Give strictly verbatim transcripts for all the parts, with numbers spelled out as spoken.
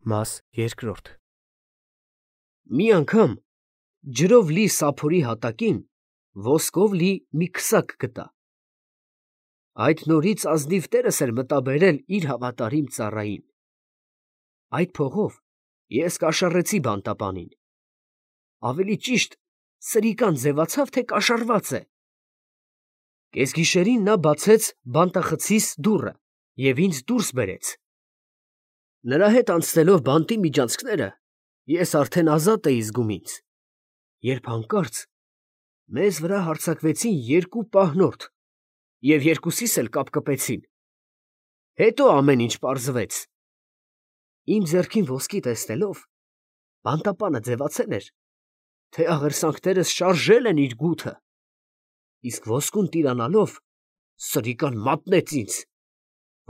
Մաս երկրորդ Մի անգամ ջրով լի սափորի հատակին ոսկով լի մի քսակ գտա. այդ նորից ազնիվ տերս էր մտաբերել իր հավատարիմ ծառային. այդ փողով ես կաշառեցի բանտապանին, ավելի ճիշտ սրիկան ձևացավ, թե կաշառված է. կեսգիշերին նա բացեց բանտախցիս դուռը և ինձ դուրս բերեց. նրա հետ անցնելով բանտի միջանցքները, ես արդեն ազատ էի զգում ինձ, երբ հանկարծ մեզ վրա հարձակվեցին երկու պահնորդ և երկուսիս էլ կապկպեցին. հետո ամեն ինչ պարզվեց. իմ ձեռքին ոսկի տեսնելով, բանտապանը ձևացել էր, թե աղերսանքներս շարժել են իր գութը, իսկ ոսկուն տիրանալով սրիկան մատնեց ինձ,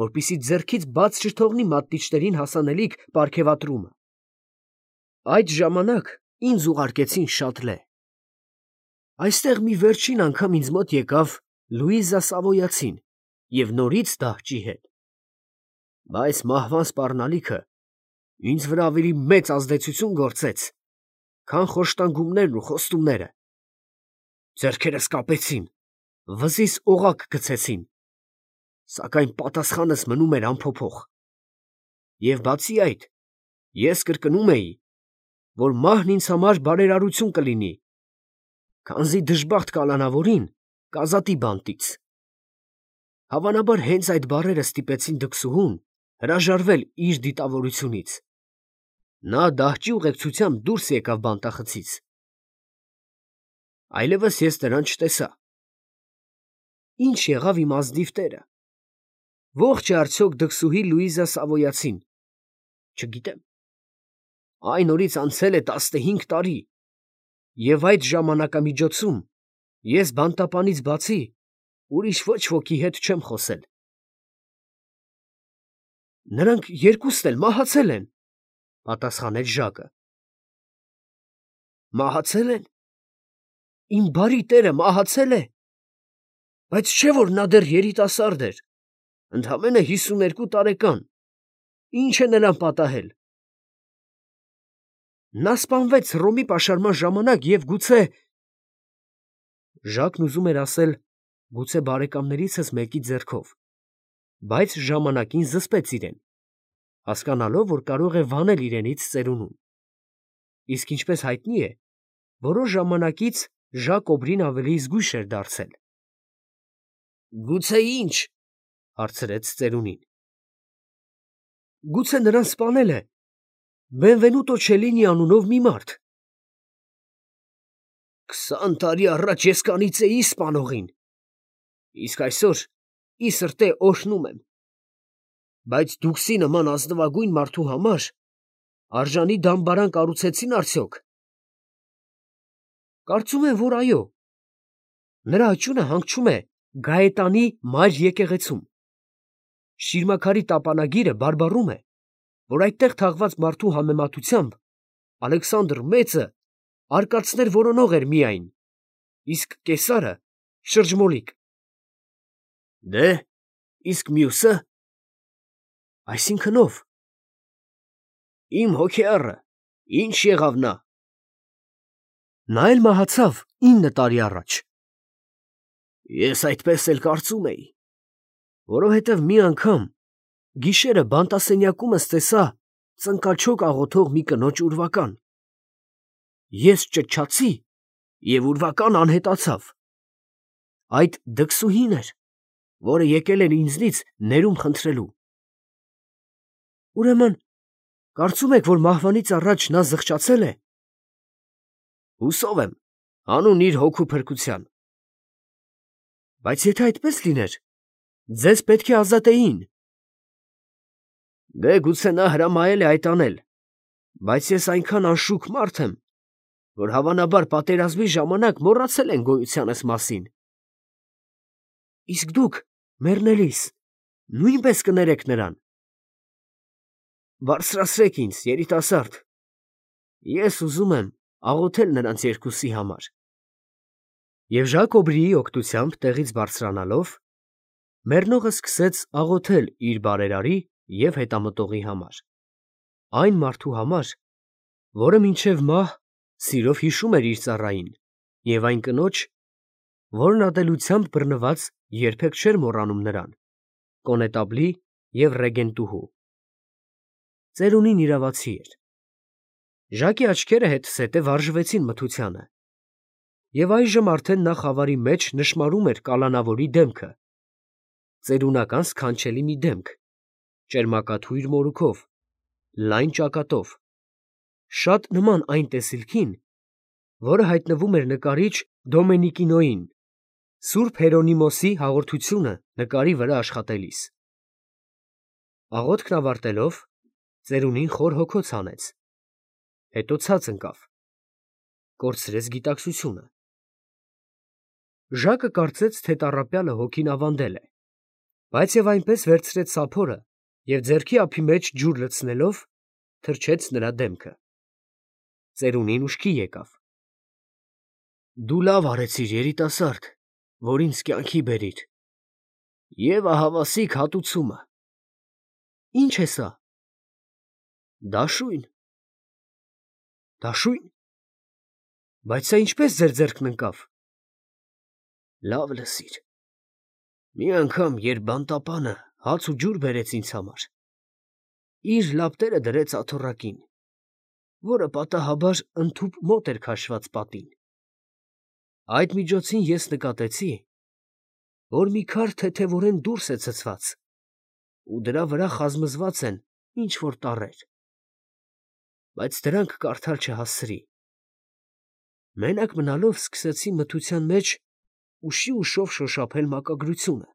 որպեսզի ձեռքից բաց չթողնի մատնիչներին հասանելիք պարգևատրումը. այդ ժամանակ ինձ ուղարկեցին Շատլե. այստեղ մի վերջին անգամ ինձ մոտ եկավ Լուիզա Սավոյացին և նորից դահճի հետ, բայց մահվան սպառնալիքը ինձ վրա ավելի մեծ ազդեցություն գործեց, քան խոշտանգումներն ու խոստումները. ձեռքերս կապեցին, վզիս օղակ գցեցին, սակայն պատասխանս մնում էր անփոփոխ, և բացի այդ, ես կրկնում էի, որ մահն ինձ համար բարերարություն կլինի, քանզի դժբախտ կալանավորին կազատի բանտից. հավանաբար հենց այդ բառերը ստիպեցին դքսուհուն հրաժարվել իր դիտավորությունից. նա դահճի ուղեկցությամբ դուրս եկավ բանտախցից. այլևս ես նրան չտեսա. ի՞նչ եղավ իմ ազնիվ տերը, ո՞ղջ է արդյոք դքսուհի Լուիզա Սավոյացին, չգիտեմ. այն օրից անցել է տասնհինգ տարի, և այդ ժամանակամիջոցում ես բանտապանից բացի ուրիշ ոչ ոքի հետ չեմ խոսել։ նրանք երկուսն էլ մահացել են, պատասխանեց Ժակը։ Մահացել են։ Իմ բարի տերը մահացել է, բայց չէ՞ որ նա դեռ երիտասարդ էր, ընդամենը հիսուներկու տարեկան, ի՞նչ է նրան պատահել։ Նա սպանվեց Հռոմի պաշարման ժամանակ և գուցե… Ժակն ուզում էր ասել, գուցե բարեկամներիցս մեկի ձեռքով, բայց ժամանակին զսպեց իրեն, հասկանալով, որ կարող է վանել իրենից ծերունուն, իսկ ինչպես հայտնի է, որոշ ժամանակից Ժակ Օբրին ավելի զգույշ էր դարձել։ Գուցե ի՞նչ, հարցրեց ծերունին։ Գուցե նրան սպանել է Բենվենուտո Չելլինի անունով մի մարդ։ Քսան տարի առաջ ես կանիծեի սպանողին, իսկ այսօր ի սրտե օրհնում եմ, բայց դուքսի նման ազնվագույն մարդու համար արժանի դամբարան կառուցեցին արդյոք։ Կարծում եմ, որ այո։ Նրա աճյունը հանգչում է Գայետանի մայր եկեղեցում։ Շիրմաքարի տապանագիրը բարբառում է, որ այդտեղ թաղված մարդու համեմատությամբ Ալեքսանդր Մեծը արկածներ որոնող էր միայն, իսկ կեսարը շրջմոլիկ։ Դե, իսկ մյուսը… Այսինքն ո՞վ։ Իմ հոգեառը, ի՞նչ եղավ նա։ Նա էլ մահացավ ինը տարի առաջ։ Ես այդպես էլ կարծում էի, որովհետև մի անգամ գիշերը բանտասենյակումս տեսա ծնկաչոք աղոթող մի կնոջ ուրվական։ Ես ճչացի, և ուրվականն անհետացավ։ Այդ դքսուհին էր, որը եկել էր ինձնից ներում խնդրելու։ Ուրեմն, կարծում եք, որ մահվանից առաջ նա զղջացել է։ Հուսով եմ, հանուն իր հոգու փրկության։ Բայց եթե այդպես լիներ, ձեզ պետք է ազատեին։ Դե գուցե նա հրամայել է այդ անել, բայց ես այնքան անշուք մարդ եմ, որ հավանաբար պատերազմի ժամանակ մոռացել են գոյությանս մասին։ Իսկ դուք մեռնելիս նույնպես կներեք նրան։ Բարձրացրեք ինձ, երիտասարդ, ես ուզում եմ աղոթել նրանց երկուսի համար։ Եվ Ժակ Օբրիի օգնությամբ տեղից բարձրանալով, մեռնողը սկսեց աղոթել իր բարերարի և հետամտողի համար։ այն մարդու համար, որը մինչև մահ սիրով հիշում էր իր ծառային, և այն կնոջ, որն ատելությամբ բռնված երբեք չէր մոռանում նրան, կոնետաբլի և ռեգենտուհու։ Ծերունին իրավացի էր։ Ժակի աչքերը հետզհետե վարժվեցին մթությանը, և այժմ արդեն նա խավարի մեջ նշմարում էր կալանավորի դեմքը, ծերունական սքանչելի մի դեմք, ճերմակաթույր մորուքով, լայն ճակատով, շատ նման այն տեսիլքին, որը հայտնվում էր նկարիչ Դոմենիկինոյին Սուրբ Հերոնիմոսի հաղորդությունը նկարի վրա աշխատելիս։ Աղոթքն ավարտելով, ծերունին խոր հոգոց հանեց, հետո ցած ընկավ, կորցրեց գիտակցությունը։ Ժակը կարծեց, թե տառապյալը հոգին ավանդել է, բայց և այնպես վերցրեց սափորը և ձեռքի ափի մեջ ջուր լցնելով, թրջեց նրա դեմքը։ Ծերունին ուշքի եկավ։ Դու լավ արեցիր, երիտասարդ, որ ինձ կյանքի բերիր, և ահավասիկ հատուցումը։ Ի՞նչ է սա։ Դաշույն։ Դաշույն։ Բայց սա ինչպես ձեր ձեռքն ընկավ։ Լավ լսիր։ Մի անգամ, երբ բանտապանը հաց ու ջուր բերեց ինձ համար, իր լապտերը դրեց աթոռակին, որը պատահաբար ընդհուպ մոտ էր քաշված պատին։ Այդ միջոցին ես նկատեցի, որ մի քար թեթևորեն դուրս է ցցված, ու դրա վրա խազմզված են ինչ֊որ տառեր, բայց դրանք կարդալ չհասցրի։ Մենակ մնալով սկսեցի մթության մեջ ուշի֊ուշով շոշափել մակագրությունը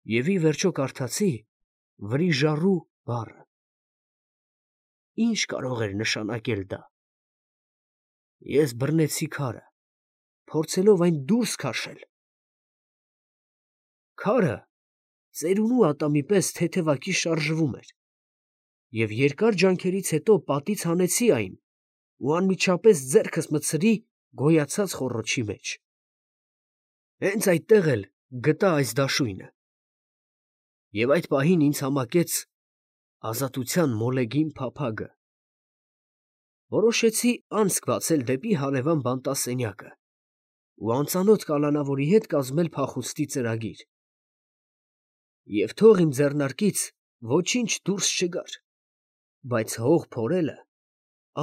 և ի վերջո կարդացի վրիժառու բառը։ Ի՞նչ կարող էր նշանակել դա։ Ես բռնեցի քարը, փորձելով այն դուրս քաշել։ Քարը ծերունու ատամի պես թեթևակի շարժվում էր, և երկար ջանքերից հետո պատից հանեցի այն ու անմիջապես ձեռքս մտցրի գոյացած խոռոչի մեջ։ Հենց այդտեղ էլ գտա այս դաշույնը, և այդ պահին ինձ համակեց ազատության մոլեգին փափագը։ Որոշեցի անցք բացել դեպի հարևան բանտասենյակը ու անծանոթ կալանավորի հետ կազմել փախուստի ծրագիր։ Եվ թող իմ ձեռնարկից ոչինչ դուրս չգար, բայց հող փորելը,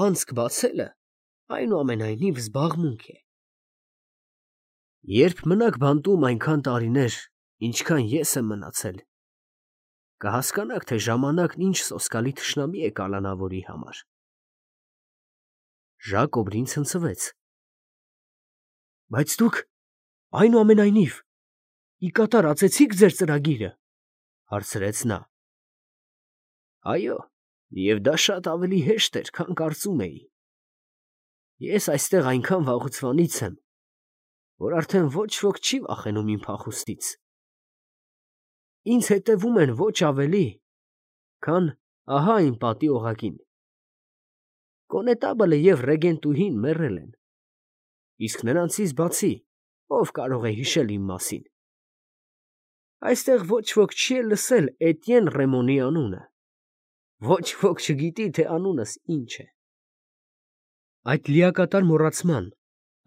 անցք բացելը այնուամենայնիվ զբաղմունք է։ Երբ մնաք բանտում այնքան տարիներ, ինչքան ես եմ մնացել, կհասկանաք, թե ժամանակն ինչ սոսկալի թշնամի է կալանավորի համար։ Ժակոբրին ցնցվեց։ Բայց դուք, այնուամենայնիվ, ի կատար ածեցի՞ք ձեր ծրագիրը, հարցրեց նա։ Այո, և դա շատ ավելի հեշտ էր, քան կարծում էի։ Ես այստեղ այնքան վաղուցվանից եմ, որ արդեն ոչ ոք չի վախենում իմ փախուստից։ Ինձ հետևում են ոչ ավելի, քան ահա այն պատի օղակին։ Կոնետաբլը և ռեգենտուհին մեռել են, իսկ նրանցից բացի ո՞վ կարող է հիշել իմ մասին։ Այստեղ ոչ ոք չի էլ լսել Էտիեն Ռեմոնի անունը, ոչ ոք չգիտի, թե անունս ինչ է։ Այդ լիակատար մոռացման,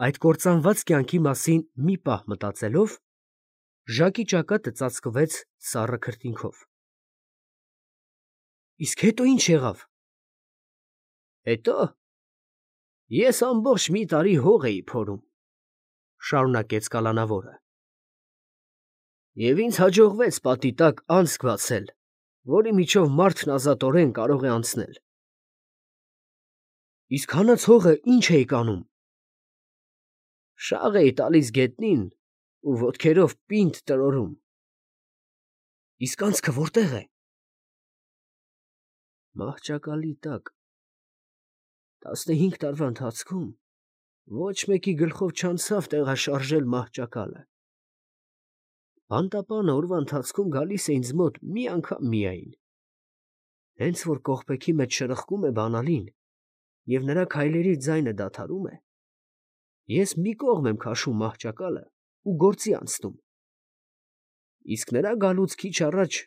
այդ կործանված կյանքի մասին մի պահ մտածելով, Ժակի ճակատը ծածկվեց սառը քրտինքով։ Իսկ հետո ի՞նչ եղավ։ Հետո ես ամբողջ մի տարի հող էի փորում, շարունակեց կալանավորը, և ինձ հաջողվեց պատի տակ անցք բացել, որի միջով մարդն ազատորեն կարող է անցնել։ Իսկ հանած հողը ի՞նչ էիք անում։ Շաղ էի տալիս գետնին ու ոտքերով պինդ տրորում։ Իսկ անցքը որտե՞ղ է։ Մահճակալի տակ։ Տասնհինգ տարվա ընթացքում ոչ մեկի գլխով չանցավ տեղաշարժել մահճակալը։ Բանտապանը օրվա ընթացքում գալիս է ինձ մոտ մի անգամ միայն։ Հենց որ կողպեքի մեջ շրխկում է բանալին, և նրա քայլերի ձայնը դադարում է, ես մի կողմ եմ քաշում մահճակալը ու գործի անցնում։ Իսկ նրա գալուց քիչ առաջ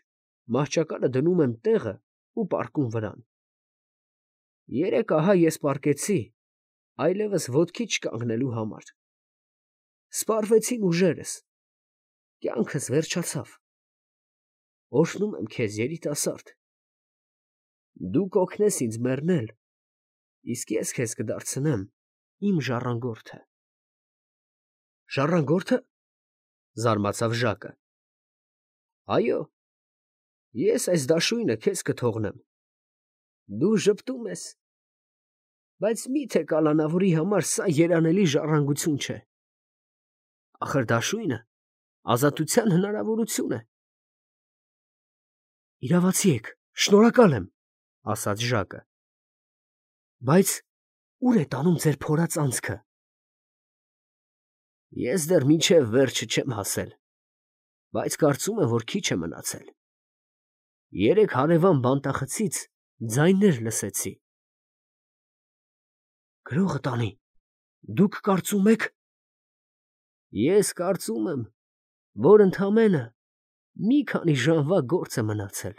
մահճակալը դնում եմ տեղը ու պառկում վրան։ Երեք ահա ես պառկեցի, այլևս ոտքի չկանգնելու համար։ Սպառվեցին ուժերս, կյանքս վերջացավ։ Օրհնում եմ քեզ, երիտասարդ, դու կօգնես ինձ մեռնել, իսկ ես քեզ կդարձնեմ իմ ժառանգորդը։ Ժառանգո՞րդը, զարմացավ Ժակը։ Այո, ես այս դաշույնը քեզ կթողնեմ, դու ժպտում ես, բայց մի՞թե կալանավորի համար սա երանելի ժառանգություն չէ։ Ախր դաշույնը ազատության հնարավորություն է։ Իրավացի եք, շնորհակալ եմ, ասաց Ժակը, բայց ուր է տանում ձեր փորած անցքը։ Ես դեռ մինչև վերջը չեմ հասել, բայց կարծում եմ, որ քիչ է մնացել։ Երեք հարևան բանտախցից ձայներ լսեցի։ Գրողը տանի, դուք կարծում եք։ Ես կարծում եմ, որ ընդամենը մի քանի ժամվա գործ է մնացել։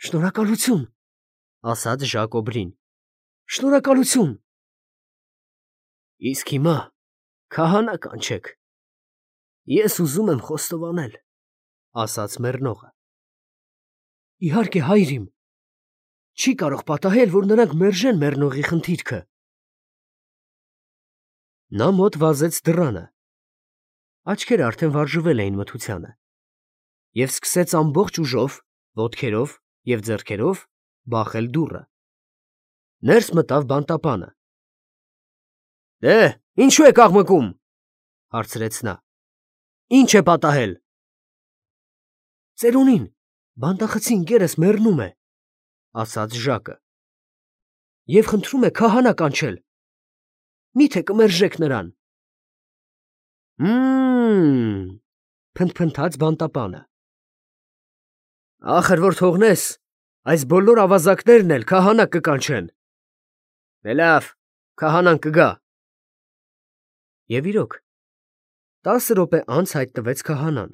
Շնորհակալություն, ասաց Ժակոբրին, շնորհակալություն։ Իսկ հիմա քահանա կանչեք, ես ուզում եմ խոստովանել, ասաց մեռնողը։ Իհարկե, հայր իմ, չի կարող պատահել, որ նրանք մերժեն մեռնողի խնդիրքը։ Նա մոտ վազեց դռանը, աչքերը արդեն վարժվել էին մթությանը, և սկսեց ամբողջ ուժով, ոտքերով և ձեռքերով բախել դուռը։ Ներս մտավ բանտապանը։ Դե, ինչու եք աղմկում, հարցրեց նա։ Ինչ է պատահել։ Ծերունին, բանտախցի ընկերս մեռնում է, ասաց Ժակը, և խնդրում է քահանա կանչել, մի՞թե կմերժեք նրան։ Հը՛մ, փնթփնթաց բանտապանը։ Ախր որ թողնես, այս բոլոր ավազակներն էլ քահանա կկանչեն։ Դե լավ, քահանան կգա։ Եվ իրոք, տասը րոպե անց հայտնվեց քահանան,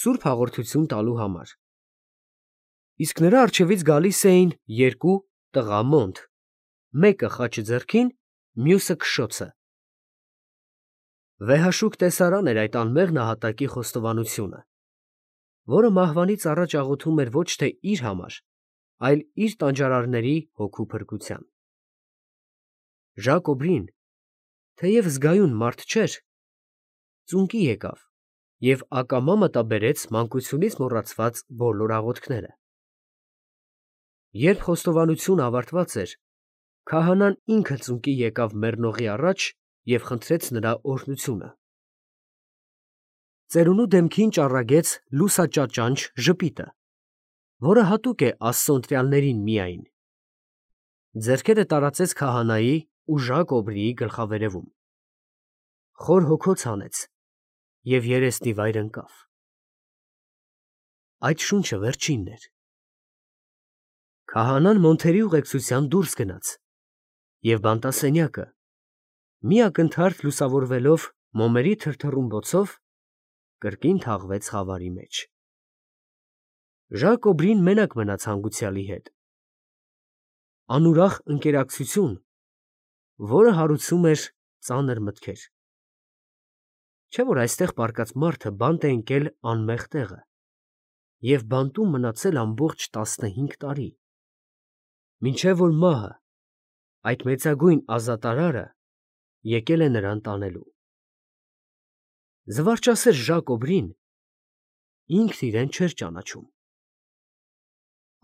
սուրբ հաղորդություն տալու համար։ Իսկ նրա առջևից գալիս էին երկու տղա մոնտ, մեկը խաչը ձեռքին, մյուսը քշոցը։ Վեհաշուկ տեսարան էր այդ անմեղ նահատակի խոստովանությունը, որը մահվանից առաջ աղոթում էր ոչ թե իր համար, այլ իր տանջարարների հոգու փրկության։ Ժակոբրին, թեև զգայուն մարդ չէր, ծունկի եկավ և ակամա մտաբերեց մանկությունից մոռացված բոլոր աղոթքները։ Երբ խոստովանությունը ավարտված էր, քահանան ինքը ծունկի եկավ մեռնողի առաջ և խնդրեց նրա օրհնությունը։ Ծերունու դեմքին ճառագեց լուսաճաճանչ ժպիտը, որը հատուկ է Աստծո ընտրյալներին միայն։ Ձեռքերը տարածեց քահանայի ու Ժակոբրիի գլխավերևում։ Խոր հոգոց հանեց և երեսնի վայր ընկավ։ Այդ շունչը վերջինն էր։ Քահանան մոնթերի ուղեկցությամբ դուրս գնաց, և բանտասենյակը, մի ակնթարթ լուսավորվելով մոմերի թրթռումբոցով, կրկին թաղվեց խավարի մեջ։ Ժակոբրին մենակ մնաց հանգուցյալի հետ։ Անուրախ ընկերակցություն, որը հարուցում էր ծանր մտքեր։ Չէ՞ որ այստեղ պառկած մարդը բանտ է ընկել անմեղ տեղը և բանտում մնացել ամբողջ տասնհինգ տարի, մինչև որ մահը, այդ մեծագույն ազատարարը, եկել է նրան տանելու։ Զվարճասեր Ժակոբրին ինքն իրեն չէր ճանաչում։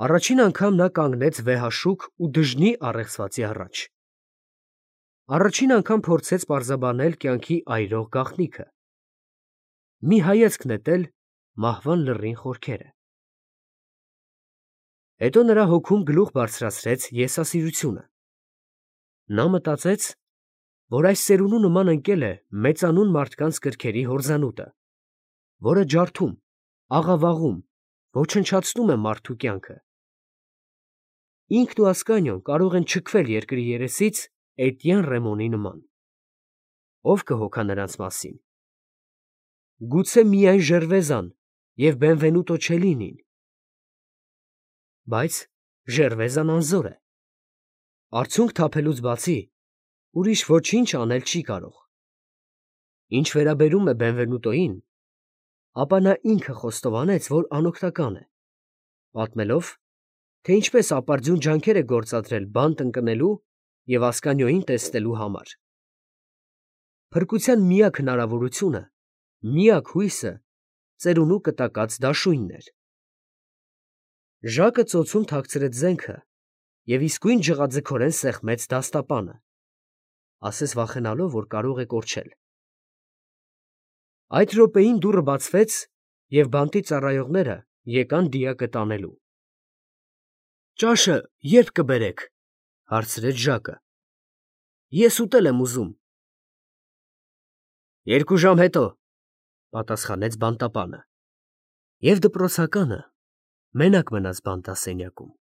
Առաջին անգամ նա կանգնեց վեհաշուկ ու դժնի առեղծվածի առաջ։ Առաջին անգամ փորձեց պարզաբանել կյանքի այրող գաղտնիքը, մի հայացք նետել մահվան լռին խորքերը։ Հետո նրա հոգում գլուխ բարձրացրեց եսասիրությունը։ Նա մտածեց, որ այս ծերունու նման ընկել է մեծանուն մարդկանց կրքերի հորձանուտը, որը ջարդում, աղավաղում, ոչնչացնում է մարդու կյանքը։ Ինքն ու Ասկանիոն կարող են չքվել երկրի երեսից Էտիեն Ռեմոնի նման։ Ո՞վ կհոգա նրանց մասին։ Գուցե միայն Ժերվեզան և Բենվենուտո Չելինին։ Բայց Ժերվեզան անզոր է, Արցունք թափելուց բացի ուրիշ ոչինչ անել չի կարող։ Ինչ վերաբերում է Բենվենուտոյին, ապա նա ինքը խոստովանեց, որ անօգնական է, պատմելով, թե ինչպես ապարդյուն ջանքեր է գործադրել բանտ ընկնելու և Ասկանիոյին տեսնելու համար։ Փրկության միակ հնարավորությունը, միակ հույսը ծերունու կտակած դաշույնն էր։ Ժակը ծոցում թաքցրեց զենքը և իսկույն ջղաձգորեն սեղմեց դաստապանը, ասես վախենալով, որ կարող է կորչել։ Այդ րոպեին դուռը բացվեց, և բանտի ծառայողները եկան դիակը տանելու։ ֊ Ճաշը ե՞րբ կբերեք, ֊ հարցրեց Ժակը։ ֊ Ես ուտել եմ ուզում։ ֊ Երկու ժամ հետո, ֊ պատասխանեց բանտապանը, և դպրոցականը մենակ մնաց բանտասենյակում։